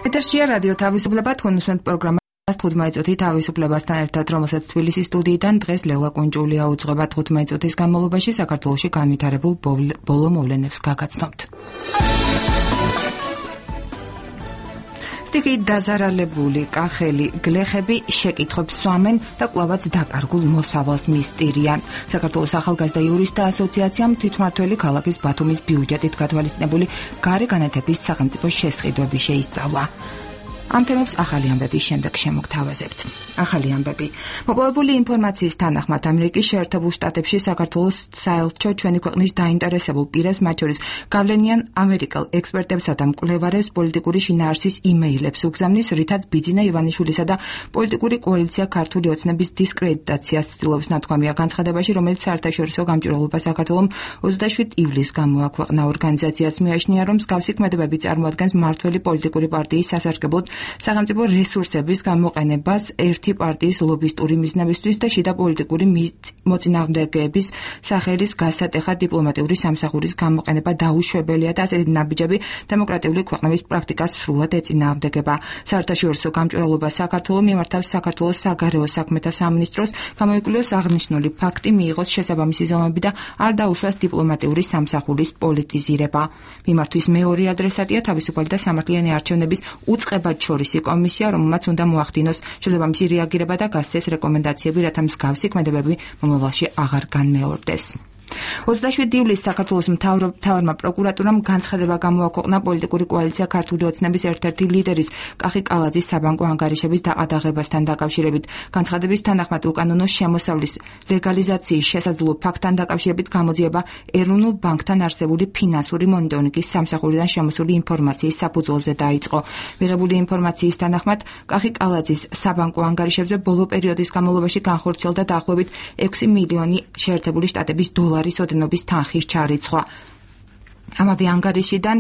ეთერშია რადიო თავისუფლება, თქვენ უსმენთ პროგრამას 15 წუთი თავისუფლებასთან ერთად, რომელსაც თბილისის სტუდიიდან დღეს ლელა კუნჭულია უძღვება 15 წუთის განმავლობაში საქართველოში განვითარებულ ბოლო მოვლენებს გაგაცნობთ. სტიქით დაზარალებული კახელი გლეხები შეკითხვებს სვამენ და კვლავაც დაკარგულ მოსავალს მისტირიან. საქართველოს ახალგაზრდა იურისტთა ასოციაციამ თვითმმართველი ქალაქის ბათუმის ბიუჯეტით გათვალისწინებული გარე განათების სახელმწიფო შესყიდვები შეისწავლა. ამ თემებს ახალი ამბების შემდეგ შემოგთავაზებთ. ახალი ამბები. მოპოვებული ინფორმაციის თანახმად ამერიკის შეერთებულ შტატებში საქართველოს საელჩო ჩვენი ქვეყნის დაინტერესებულ პირებს, მათ შორის გავლენიან ამერიკელ ექსპერტებსა და მკვლევარებს პოლიტიკური შინაარსის იმეილებს უგზავნის, რითაც ბიძინა ივანიშვილისა და პოლიტიკური კოალიცია ქართული ოცნების დისკრედიტაციას ცდილობს ნათქვამია განცხადებაში, რომელიც საერთაშორისო გამჭვირვალობა საქართველოს 27 ივლისს გამოაქვეყნა. ორგანიზაციაც მიაჩნია, რომ მსგავსი ქმედებები წარმოადგენს მმართველი პოლიტიკური პარტიის სასარგებლოდ სახელმწიფო რესურსების გამოყენებას ერთი პარტიის ლობისტური მიზნებისთვის და შიდა პოლიტიკური მოწინააღმდეგეების სახელის გასატეხად დიპლომატიური სამსახურის გამოყენება დაუშვებელია და ასეთი ნაბიჯები დემოკრატიული ქვეყნების პრაქტიკას სრულად ეწინააღმდეგება. საერთაშორისო გამჭვირვალობა საქართველოს მიმართავს საქართველოს საგარეო საქმეთა სამინისტროს გამოიკვლიოს აღნიშნული ფაქტი, მიიღოს შესაბამისი ზომები და არ დაუშვას დიპლომატიური სამსახურის პოლიტიზირება. მიმართვის მეორე ადრესატია თავისუფალი და სამართლიანი არჩევნების უწყებად შორისი კომისია, რომელმაც უნდა მოახდინოს შესაბამისი რეაგირება და გასცეს რეკომენდაციები, რათა მსგავსი ქმედებები მომავალში აღარ განმეორდეს. 27 ივლისს საქართველოს მთავარმა პროკურატურამ განცხადება გამოაქვეყნა პოლიტიკური კოალიცია ქართული ოცნების ერთ-ერთი ლიდერის კახი კალაძის საბანკო ანგარიშების დაყადაღებასთან დაკავშირებით. განცხადების თანახმად უკანონო შემოსავლის ლეგალიზაციის შესაძლო ფაქტთან დაკავშირებით გამოძიება ეროვნულ ბანკთან არსებული ფინანსური მონიტორინგის სამსახურიდან შემოსული ინფორმაციის საფუძველზე დაიწყო. მიღებული ინფორმაციის თანახმად კახი კალაძის საბანკო ანგარიშებზე ბოლო პერიოდის განმავლობაში განხორციელდა დაახლოებით 6 მილიონი შეერთებული შტატების დოლარის ოდენობის თანხის ჩარიცხვა. ამავე ანგარიშიდან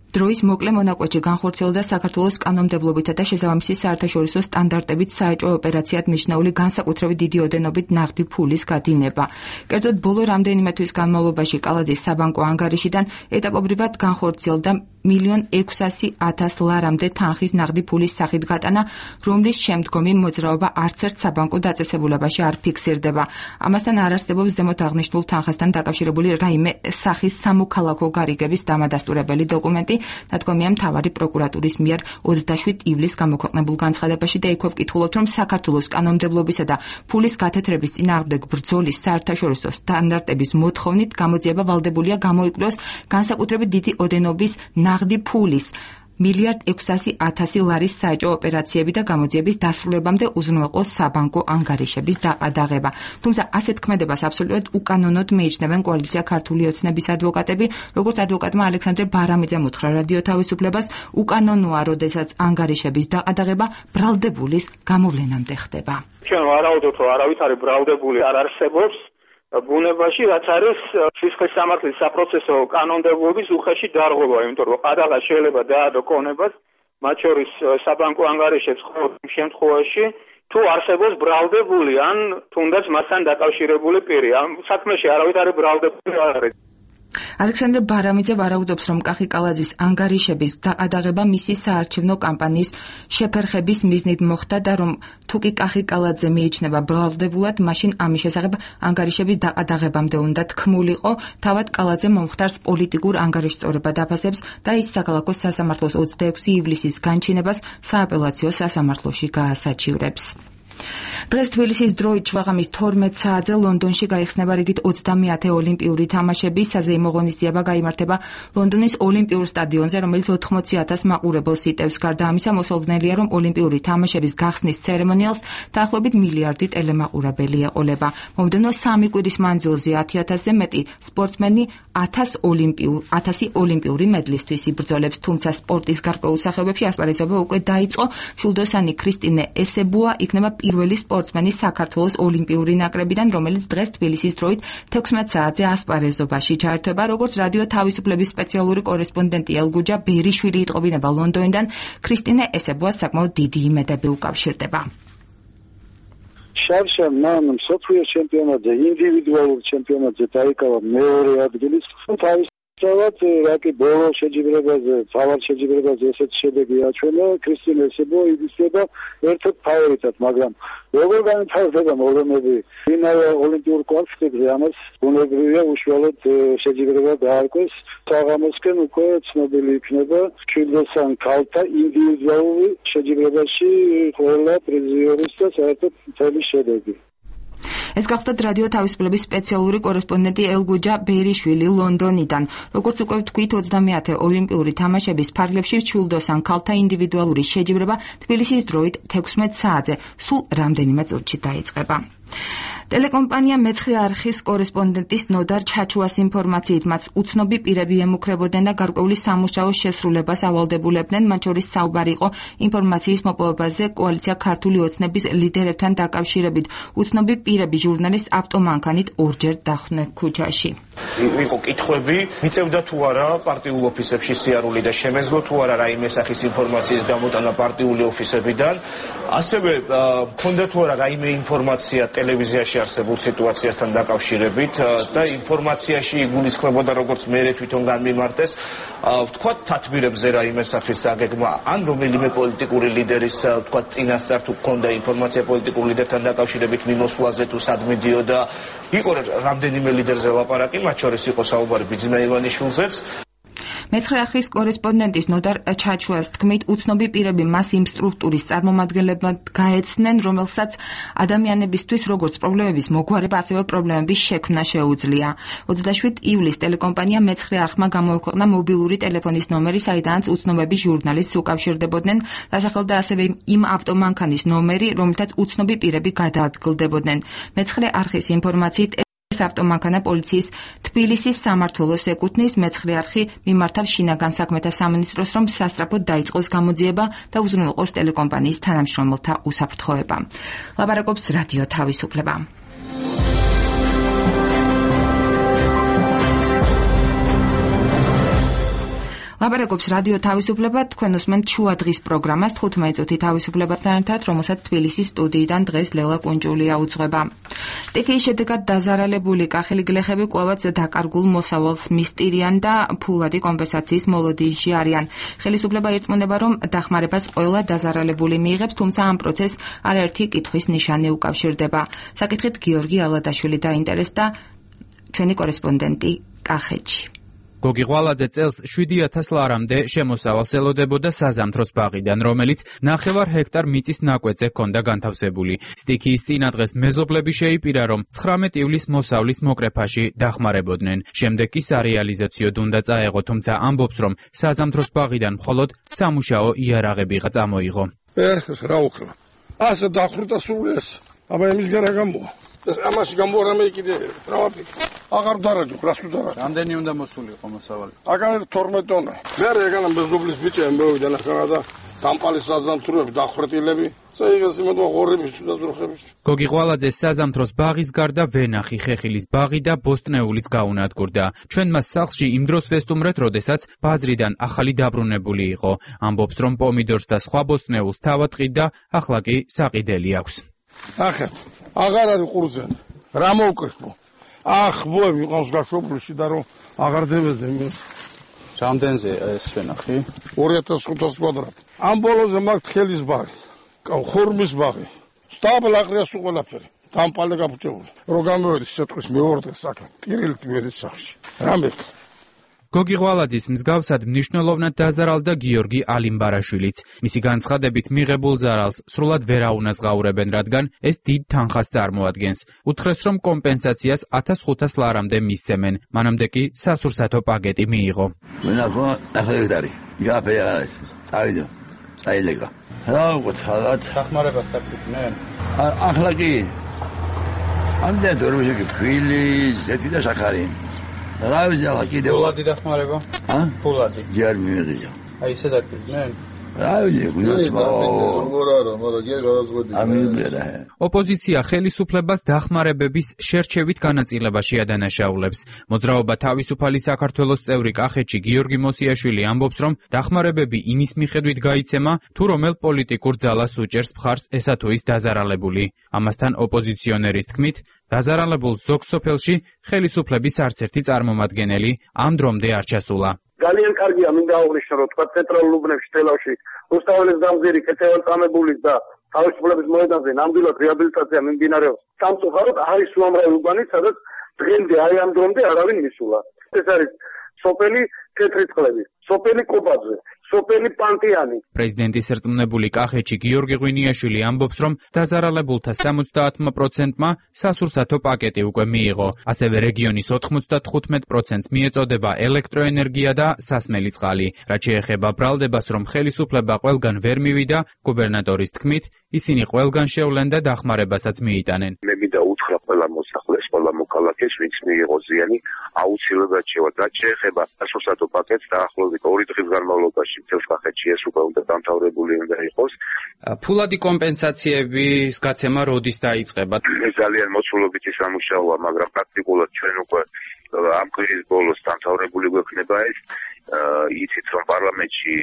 დროის მოკლე მონაკვეთში განხორციელდა საქართველოს კანონმდებლობითა და შესაბამისი საერთაშორისო სტანდარტებით საეჭვო ოპერაციად მიჩნეული განსაკუთრებით დიდი ოდენობით ნაღდი ფულის გადინება. კერძოდ, ბოლო რამდენიმე თვის განმავლობაში კალაძის საბანკო ანგარიშიდან ეტაპობრივად განხორციელდა 1.600.000 ლარამდე თანხის ნაღდი ფულის სახით გატანა, რომლის შემდგომი მოძრაობა არც ერთ საბანკო დაწესებულებაში არ ფიქსირდება. ამასთან არ არსებობს ზემოთ აღნიშნულ თანხასთან დაკავშირებული რაიმე სახის სამოქალაქო გარიგების დამადასტურებელი დოკუმენტი, ნათქვამია მთავარი პროკურატურის მიერ 27 ივლისს გამოქვეყნებულ განცხადებაში და იქვე ვკითხულობთ, რომ საქართველოს კანონმდებლობისა და ფულის გათეთრების წინააღმდეგ ბრძოლის საერთაშორისო სტანდარტების მოთხოვნით გამოძიება ვალდებულია გამოიკვლიოს განსაკუთრებით დიდი ოდენობის ნაღდი ფულის 1.600.000 ლარის საეჭვო ოპერაციები და გამოძიების დასრულებამდე უზრუნველყოს საბანკო ანგარიშების დაყადაღება. თუმცა ასეთ ქმედებას აბსოლუტურად უკანონოდ მიიჩნევენ კოალიცია ქართული ოცნების ადვოკატები, როგორც ადვოკატმა ალექსანდრე ბარამიძემ უთხრა რადიო თავისუფლებას, უკანონოა, როდესაც ანგარიშების დაყადაღება ბრალდებულის გამოვლენამდე ხდება. ჩვენ ვარაუდობთ, რომ არავითარი ბრალდებული არ არსებობს ბუნებაში, რაც არის სისხლის სამართლის საპროცესო კანონმდებლობის უხეში დარღვევა, იმიტომ რომ ყადაღა შეიძლება დაადო კონებას, მათ შორის საბანკო ანგარიშებს ყოველ შემთხვევაში, თუ არსებობს ბრალდებული ან თუნდაც მასთან დაკავშირებული პირი. ამ საქმეში არავითარი ბრალდებული არ არის. ალექსანდრე ბარამიძე ვარაუდობს, რომ კახი კალაძის ანგარიშების დაყადაღება მისი საარჩევნო კამპანიის შეფერხების მიზნით მოხდა და რომ თუკი კახი კალაძე მიიჩნევა ბრალდებულად, მაშინ ამის შესახებ ანგარიშების დაყადაღებამდე უნდა თქმულიყო. თავად კალაძე მომხდარს პოლიტიკურ ანგარიშწორებად აფასებს და ის საქალაქო სასამართლოს 26 ივლისის განჩინებას სააპელაციო სასამართლოში გაასაჩივრებს. დღეს თბილისის დროით შუაღამის 12 საათზე ლონდონში გაიხსნება რიგით 30-ე ოლიმპიური თამაშები. საზეიმო ღონისძიება გაიმართება ლონდონის ოლიმპიურ სტადიონზე, რომელიც 80,000 მაყურებელს იტევს. გარდა ამისა, მოსალოდნელია, რომ ოლიმპიური თამაშების გახსნის ცერემონიალს დაახლოებით მილიარდი ტელემაყურებელი ეყოლება. მომდევნო 3 კვირის მანძილზე 10,000-ზე მეტი სპორტსმენი 1000 ოლიმპიური მედლისთვის იბრძოლებს. თუმცა სპორტის გარკვეულ სახეობებში ასპარეზობა უკვე დაიწყო. შულდოსანი ქრისტინე ესებუა იქნება პირველი სპორტსმენი საქართველოს ოლიმპიური ნაკრებიდან, რომელიც დღეს თბილისის დროით 16 საათზე ასპარეზობაში ჩაერთვება. როგორც რადიო თავისუფლების სპეციალური კორესპონდენტი ელგუჯა ბერიშვილი იტყობინება ლონდონიდან, ქრისტინე ესებუას საკმაოდ დიდი იმედები უკავშირდება. შარშან მან მსოფლიო ჩემპიონატზე, ინდივიდუალურ ჩემპიონატზე დაიკავა მეორე ადგილი. თავის სწორად რაკი ბოლო შეჯიბრებაზე, თავად შეჯიბრებაზე ესეთ შედეგი აჩვენა, ქრისტიან ესებო იგისება ერთ-ერთ ფავორიტად, მაგრამ როგორ განვითარდება მოვლენები ფინალ ოლიმპიურ კვალიფიკაციაზე, ამას ბუნებრივია უშუალოდ შეჯიბრება დაარქვეს. საღამოსკენ უკვე ცნობილი იქნება ჩილდოსან ქალთა ინდივიდუალური შეჯიბრებაში ყველა პრიზიორის და საერთოდ მთელი შედეგი. ეს გახლდათ რადიო თავისუფლების სპეციალური კორესპონდენტი ელგუჯა ბერიშვილი ლონდონიდან. როგორც უკვე ვთქვით, 20-ე ოლიმპიური თამაშების ფარგლებში ჩილდოსან ქალთა ინდივიდუალური შეჯიბრება თბილისის დროით 16 საათზე სულ რამდენიმე წუთში დაიწყება. ტელეკომპანია მეცხრე არხის კორესპონდენტის ნოდარ ჩაჩუას ინფორმაციით მას უცნობი პირები ემუქრებოდნენ და გარკვეული სამუშაოს შესრულებას ავალდებულებდნენ, მათ შორის საუბარი იყო ინფორმაციის მოპოვებაზე კოალიცია ქართული ოცნების ლიდერებთან დაკავშირებით. უცნობი პირები ჟურნალისტ ავტომანქანით ორჯერ დახვდნენ ქუჩაში. იყო კითხვები, მიწევდა თუ არა პარტიულ ოფისებში სიარული და შემეძლო თუ არა რაიმე სახის ინფორმაციის გამოტანა პარტიული ოფისებიდან, ასევე მქონდა თუ არა რაიმე ინფორმაცია ტელევიზიაში არსებულ სიტუაციასთან დაკავშირებით და ინფორმაციაში იგულისხმებოდა როგორც მე თვითონ განმიმარტეს ვთქვათ თათბირებზე რაიმე სახის დაგეგმა ან რომელიმე პოლიტიკური ლიდერის ვთქვათ წინასწარ თუ ჰქონდა ინფორმაცია პოლიტიკურ ლიდერთან დაკავშირებით მიმოსვლაზე თუ სად მიდიოდა იყო რამდენიმე ლიდერზე ლაპარაკი მათ შორის იყო საუბარი ბიძინა ივანიშვილზეც. მეცხრე არხის კორესპონდენტის ნოდარ ჩაჩუას თქმით, უცნობი პირები მას იმ სტრუქტურის წარმომადგენლებად გაეცნენ, რომელსაც ადამიანებისთვის როგორც პრობლემების მოგვარება, ასევე პრობლემების შექმნა შეუძლია. 27 ივლისს ტელეკომპანია მეცხრე არხმა გამოაქვეყნა მობილური ტელეფონის ნომერი, საიდანაც უცნობები ჟურნალისტს უკავშირდებოდნენ, დასახელდა ასევე იმ ავტომანქანის ნომერი, რომელთაც უცნობი პირები გადაადგილდებოდნენ. მეცხრე არხის ინფორმაციით ავტომანქანა პოლიციის თბილისის სამმართველოს ეკუთვნის. მეცხრე არხი მიმართავს შინაგან საქმეთა სამინისტროს, რომ სასწრაფოდ დაიწყოს გამოძიება და უზრუნველყოს ტელეკომპანიის თანამშრომელთა უსაფრთხოება. ლაპარაკობს რადიო თავისუფლება. ლაპარაკობს რადიო თავისუფლება, თქვენ უსმენთ შუადღის პროგრამას 15 წუთი თავისუფლებასთან ერთად, რომელსაც თბილისის სტუდიიდან დღეს ლელა კუნჭულია უძღვება. სტიქიის შედეგად დაზარალებული კახელი გლეხები კვლავაც დაკარგულ მოსავალს მისტირიან და ფულადი კომპენსაციის მოლოდინში არიან. ხელისუფლება ირწმუნება, რომ დახმარებას ყველა დაზარალებული მიიღებს, თუმცა ამ პროცესს არაერთი კითხვის ნიშანი უკავშირდება. საკითხით გიორგი ალადაშვილი დაინტერესდა ჩვენი კორესპონდენტი კახეთში. გოგი ღვალაძე წელს 7000 ლარამდე შემოსავალს ელოდებოდა საზამთროს ბაღიდან, რომელიც 9 ჰექტარ მიწის ნაკვეთზე ჰქონდა განთავსებული. სტიქიის წინადღეს მეზობლები შეიპირა, რომ 19 ივლისს მოსავლის მოკრეფაში დახმარებოდნენ. შემდეგ კი სარეალიზაციოდ უნდა წაეღო, თუმცა ამბობს, რომ საზამთროს ბაღიდან მხოლოდ სამუშაო იარაღებიღა წამოიღო. რა უქნა? ასე დახვრიტა სულ ეს. აბა იმის გარა გამოვა. ამაში გამორამე კიდე რავაფი. აღარ დარაჯო, რას უდარა. რამდენი უნდა მოსულიყო მოსავალი? აგან 12 ტონა. მე ეგანა მეზობლის ბიჭები მოვიდა ახლა და დამპალის საზამთროები დახვრეტილები. წაიღეს იმედო ღორების დაზროხების. გოგი ღვალაძე საზამთროს ბაღის გარდა ვენახი, ხეხილის ბაღი და ბოსტნეულიც გაუნადგურდა. ჩვენ მას სახლში იმ დროს ვესტუმრეთ, როდესაც ბაზრიდან ახალი დაბრუნებული იყო. ამბობს, რომ პომიდორს და სხვა ბოსტნეულს თავად ყიდა, ახლა კი საყიდელი აქვს. ახეთ, აღარ არის ყურძენი. რა მოვკრიფო? ბოემ იყავს გაშვებული და რომ აღარ დებეზე მე. რამდენზე ეს ვენახი? 2500 კვადრატი. ამ ბოლოზე მაგ თხელის ბაღი, ხორმის ბაღი. სტაბლაღრია სულ ყველაფერი. დამპალე გაფუჭებული. რო გამოვედი სიტყვის მეორდე საკე. ტირილი მერე სახში. რამე გოგი ღვალაძის მსგავსად მნიშვნელოვნად დაზარალდა გიორგი ალიმბარაშვილიც. მისი განცხადებით მიღებულ ზარალს სრულად ვერ აუნაზღაურებენ, რადგან ეს დიდ თანხას წარმოადგენს. უთხრეს, რომ კომპენსაციას 1500 ლარამდე მისცემენ. მანამდე კი სასურსათო პაკეტი მიიღო. ვენახო 9 ჰექტარი. გაფე არის. წავიდა. წაილეკა. რა უყოთ, დახმარებას დაგიყვნენ? ახლა კი. ამდენ თორმეში ფილი, ზეთი და შაქარი. რა ვიზალა კიდევ ფულადი დახმარება? ფულადი. ჯერ მიიღია. აი ესე დაგიყვნენ? რა ვიცი, გუნდსმა. ოპოზიცია ხელისუფლებას დახმარებების შერჩევით განაწილებაში ადანაშაულებს. მოძრაობა თავისუფალი საქართველოს წევრი კახეთში გიორგი მოსიაშვილი ამბობს, რომ დახმარებები იმის მიხედვით გაიცემა, თუ რომელ პოლიტიკურ ძალას უჭერს მხარს ესა თუ ის დაზარალებული. ამასთან ოპოზიციონერის თქმით, დაზარალებულ ზოგ სოფელში ხელისუფლების არც ერთი წარმომადგენელი ამ დრომდე არ ჩასულა. ძალიან კარგია მინდა აღვნიშნო, რომ თქვა ცენტრალურ უბნებში თელავში რუსთაველის დამზირი კეთილწამებულის და თავისუფლების მოედანზე ნამდვილად რეაბილიტაცია მიმდინარეობს. სამწუხაროდ არის უამრავი უბანი, სადაც დღემდე აი ამ დრომდე არავინ მისულა. ეს არის სოფელი თეთრიწყლები, სოფელი კობაძე, სოფელი პანტიანი. პრეზიდენტის ერწმუნებული კახეთში გიორგი ღვინიაშვილი ამბობს, რომ დაზარალებულთა 70%-მა სასურსათო პაკეტი უკვე მიიღო. ასევე რეგიონის 95%-ს მიეწოდება ელექტროენერგია და სასმელი წყალი. რაც შეეხება ბრალდებას, რომ ხელისუფლება ყველგან ვერ მივიდა, გუბერნატორის თქმით, ისინი ყველგან შევლენ და დახმარებასაც მიიტანენ. მე მინდა უთხრა ყველა მოსახლეს, ყველა მოქალაქეს, ვინც მიიღო ზიანი, აუცილებლად შევა. რაც შეეხება სასურსათო პაკეტს, დაახლოებით 2 დღის განმავლობაში მთელს კახეთში ეს უკვე უნდა დამთავრებული უნდა იყოს. ფულადი კომპენსაციების გაცემა როდის დაიწყება? ეს ძალიან მოცულობითი სამუშაოა, მაგრამ პრაქტიკულად ჩვენ უკვე ამ კვირის ბოლოს დამთავრებული გვექნება ეს. იცით, რომ პარლამენტში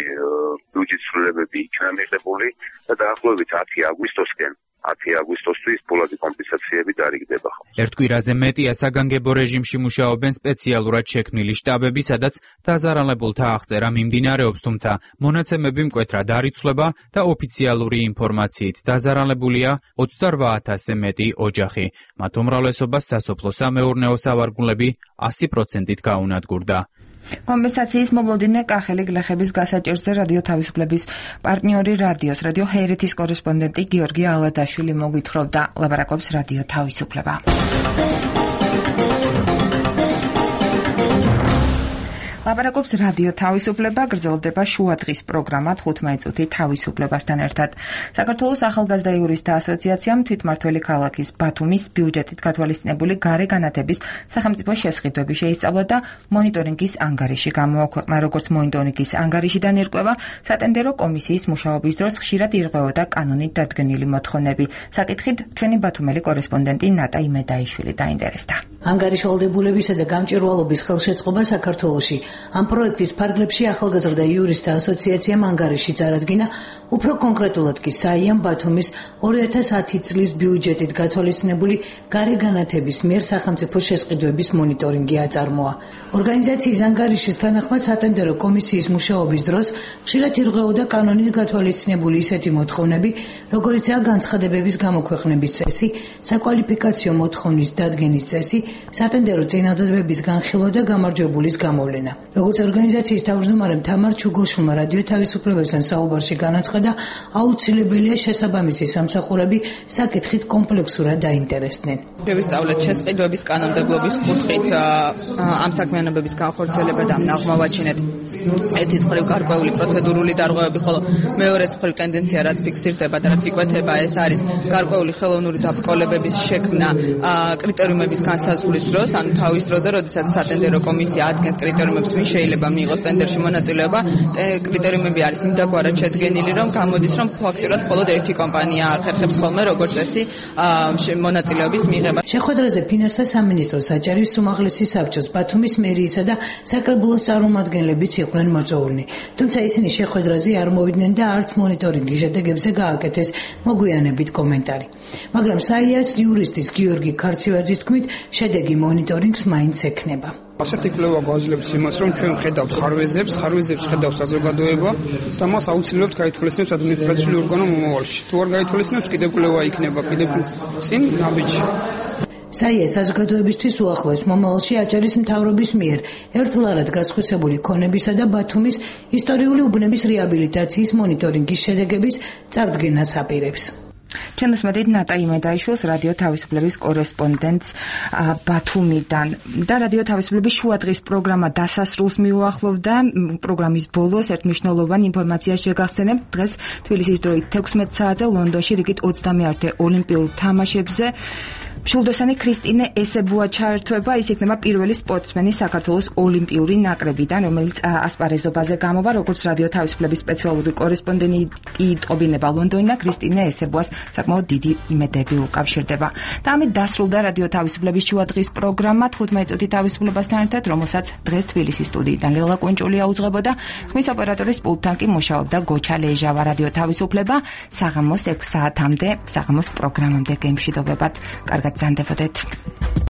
ბიუჯეტის ცვლილებები იქნა მიღებული და დაახლოებით 10 აგვისტოსკენ 10 აგვისტოსთვის ფულადი კომპენსაციები დარიგდება. ერთ კვირაზე მეტია საგანგებო რეჟიმში მუშაობენ სპეციალურად შექმნილი შტაბები, სადაც დაზარალებულთა აღწერა მიმდინარეობს, თუმცა მონაცემები მკვეთრად არ იცვლება და ოფიციალური ინფორმაციით დაზარალებულია 28,000-ზე მეტი ოჯახი. მათ უმრავლესობას სასოფლო-სამეურნეო სავარგულები 100%-ით გაუნადგურდა. კომპენსაციის მომლოდინე კახელი გლეხების გასაჭირზე რადიო თავისუფლების პარტნიორი რადიო ჰერეთის კორესპონდენტი გიორგი ალადაშვილი მოგვითხრობდა. ლაპარაკობს რადიო თავისუფლება. ლაპარაკობს რადიო თავისუფლება, გრძელდება შუადღის პროგრამა 15 წუთი თავისუფლებასთან ერთად. საქართველოს ახალგაზრდა იურისტთა ასოციაციამ თვითმმართველი ქალაქის ბათუმის ბიუჯეტით გათვალისწინებული გარე განათების სახელმწიფო შესყიდვები შეისწავლა და მონიტორინგის ანგარიში გამოაქვეყნა. როგორც მონიტორინგის ანგარიშიდან ირკვევა, სატენდერო კომისიის მუშაობის დროს ხშირად ირღვეოდა კანონით დადგენილი მოთხოვნები. საკითხით ჩვენი ბათუმელი კორესპონდენტი ნატა იმედაიშვილი დაინტერესდა. ანგარიშვალდებულებისა და გამჭვირვალობის ხელშეწყობა საქართველოში. ამ პროექტის ფარგლებში ახალგაზრდა იურისტთა ასოციაციამ ანგარიში წარადგინა, უფრო კონკრეტულად კი საიამ ბათუმის 2010 წლის ბიუჯეტით გათვალისწინებული გარე განათების მიერ სახელმწიფო შესყიდვების მონიტორინგი აწარმოა. ორგანიზაციის ანგარიშის თანახმად სატენდერო კომისიის მუშაობის დროს ხშირად ირღვეოდა კანონით გათვალისწინებული ისეთი მოთხოვნები, როგორიცაა განცხადებების გამოქვეყნების წესი, საკვალიფიკაციო მოთხოვნის დადგენის წესი, სატენდერო წინადადებების განხილვა და გამარჯვებულის გამოვლენა. როგორც ორგანიზაციის თავმჯდომარემ თამარ ჩუგოშვილმა რადიო თავისუფლებასთან საუბარში განაცხადა, აუცილებელია შესაბამისი სამსახურები საკითხით კომპლექსურად დაინტერესდნენ. შევისწავლეთ შესყიდვების კანონმდებლობის კუთხით ამ საქმიანობების განხორციელება და აღმოვაჩინეთ ერთის მხრივ გარკვეული პროცედურული დარღვევები, ხოლო მეორეს მხრივ ტენდენცია, რაც ფიქსირდება და რაც იკვეთება, ეს არის გარკვეული ხელოვნური დაბრკოლებების შექმნა კრიტერიუმების განსაზღვრის დროს, ანუ თავის დროზე, როდესაც სატენდერო კომისია ადგენს კრიტერიუმებს, ვინ შეიძლება მიიღოს ტენდერში მონაწილეობა, კრიტერიუმები არის იმდაგვარად შედგენილი, რომ გამოდის, რომ ფაქტურად მხოლოდ ერთი კომპანია ახერხებს ხოლმე როგორც წესი მონაწილეობის მიღება. შეხვედრაზე ფინანსთა სამინისტროს საჭირის უმაღლესი საბჭოს, ბათუმის მერიისა და საკრებულოს წარმომადგენლებიც იყვნენ მოწვეულნი. თუმცა ისინი შეხვედრაზე არ მოვიდნენ და არც მონიტორინგის შედეგებზე გააკეთეს მოგვიანებით კომენტარი. მაგრამ საიას იურისტის გიორგი ქარცივაძის თქმით, შედეგი მონიტორინგს მაინც ექნება. ასეთი კვლევა გვაძლევს იმას, რომ ჩვენ ხედავთ ხარვეზებს ხედავს საზოგადოება და მას აუცილებლად გაითვალისწინებს ადმინისტრაციული ორგანო მომავალში. თუ არ გაითვალისწინებს, კიდევ კვლევა იქნება, კიდევ წინ ნაბიჯი. საია საზოგადოებისთვის უახლოეს მომავალში აჭარის მთავრობის მიერ ერთლარად გასხვისებული ქონებისა და ბათუმის ისტორიული უბნების რეაბილიტაციის მონიტორინგის შედეგების წარდგენას აპირებს. ჩვენ უსმენთ ნატა იმედაიშვილს, რადიო თავისუფლების კორესპონდენტს ბათუმიდან და რადიო თავისუფლების შუადღის პროგრამა დასასრულს მიუახლოვდა. პროგრამის ბოლოს ერთმნიშვნელოვანი ინფორმაცია შეგახსენებთ. დღეს თბილისის დროით 16 საათზე ლონდონში რიგით 21 ოლიმპიურ თამაშებზე მშვილდოსანი ქრისტინე ესებუა ჩაერთვება. ის იქნება პირველი სპორტსმენი საქართველოს ოლიმპიური ნაკრებიდან, რომელიც ასპარეზობაზე გამოვა. როგორც რადიო თავისუფლების სპეციალური კორესპონდენტი ტყობინება ლონდონიდან, ქრისტინე ესებუას საკმაოდ დიდი იმედები უკავშირდება. და ამით დასრულდა რადიო თავისუფლების შუადღის პროგრამა 15 წუთი თავისუფლებასთან ერთად, რომელსაც დღეს თბილისის სტუდიიდან ლელა კუნჭული აუძღვებოდა. ხმის ოპერატორის პულტთან კი მუშაობდა გოჩა ლეჟავა. რადიო თავისუფლება საღამოს 6 საათამდე, საღამოს პროგრამამდე გემშვიდობებად. კარგად ბრძანდებოდეთ.